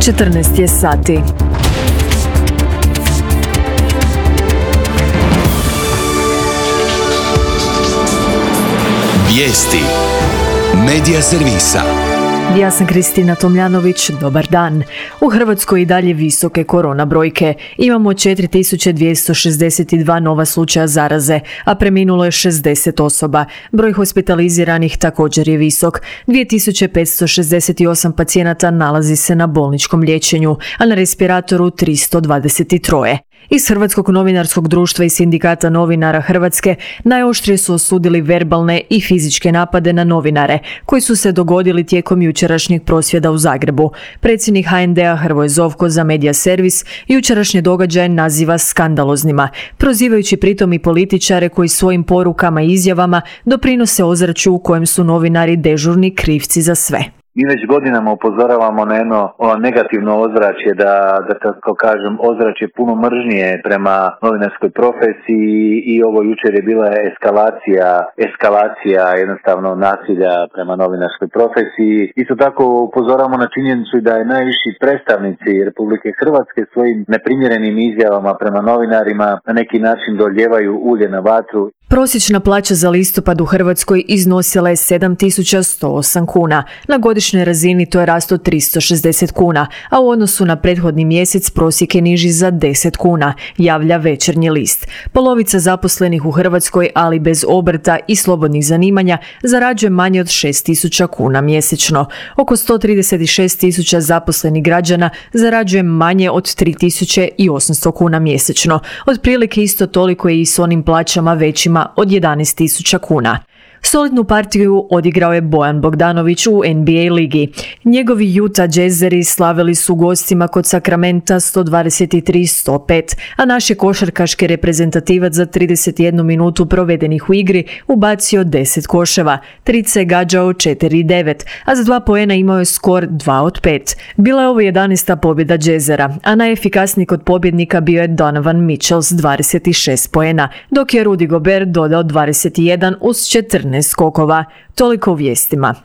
14 je sati. Vijesti Medija servisa. Ja sam Kristina Tomljanović, dobar dan. U Hrvatskoj i dalje visoke korona brojke. Imamo 4262 nova slučaja zaraze, a preminulo je 60 osoba. Broj hospitaliziranih također je visok. 2568 pacijenata nalazi se na bolničkom liječenju, a na respiratoru 323. Iz Hrvatskog novinarskog društva i sindikata novinara Hrvatske najoštrije su osudili verbalne i fizičke napade na novinare koji su se dogodili tijekom jučerašnjeg prosvjeda u Zagrebu. Predsjednik HND-a Hrvoje Zovko za Medija servis jučerašnje događaje naziva skandaloznima, prozivajući pritom i političare koji svojim porukama i izjavama doprinose ozračju u kojem su novinari dežurni krivci za sve. Mi već godinama upozoravamo na jedno negativno ozračje, da tako kažem, ozračje puno mržnje prema novinarskoj profesiji i ovo jučer je bila eskalacija jednostavno nasilja prema novinarskoj profesiji. Isto tako upozoravamo na činjenicu da je najviši predstavnici Republike Hrvatske svojim neprimjerenim izjavama prema novinarima na neki način doljevaju ulje na vatru. Prosječna plaća za listopad u Hrvatskoj iznosila je 7.108 kuna. Na godišnjoj razini to je rast od 360 kuna, a u odnosu na prethodni mjesec prosjek je niži za 10 kuna, javlja Večernji list. Polovica zaposlenih u Hrvatskoj, ali bez obrta i slobodnih zanimanja, zarađuje manje od 6.000 kuna mjesečno. Oko 136.000 zaposlenih građana zarađuje manje od 3.800 kuna mjesečno. Otprilike isto toliko je i s onim plaćama većima od 11.000 kuna. Solidnu partiju odigrao je Bojan Bogdanović u NBA ligi. Njegovi Utah Jazzeri slavili su gostima kod Sakramenta 123-105, a naš je košarkaški reprezentativac za 31 minutu provedenih u igri ubacio 10 koševa, trice je gađao 4-9, a za 2 poena imao je skor 2-5. Bila je ovo 11. pobjeda Jazzera, a najefikasniji kod pobjednika bio je Donovan Mitchell s 26 poena, dok je Rudy Gobert dodao 21 uz 14 skokova. Toliko u vijestima.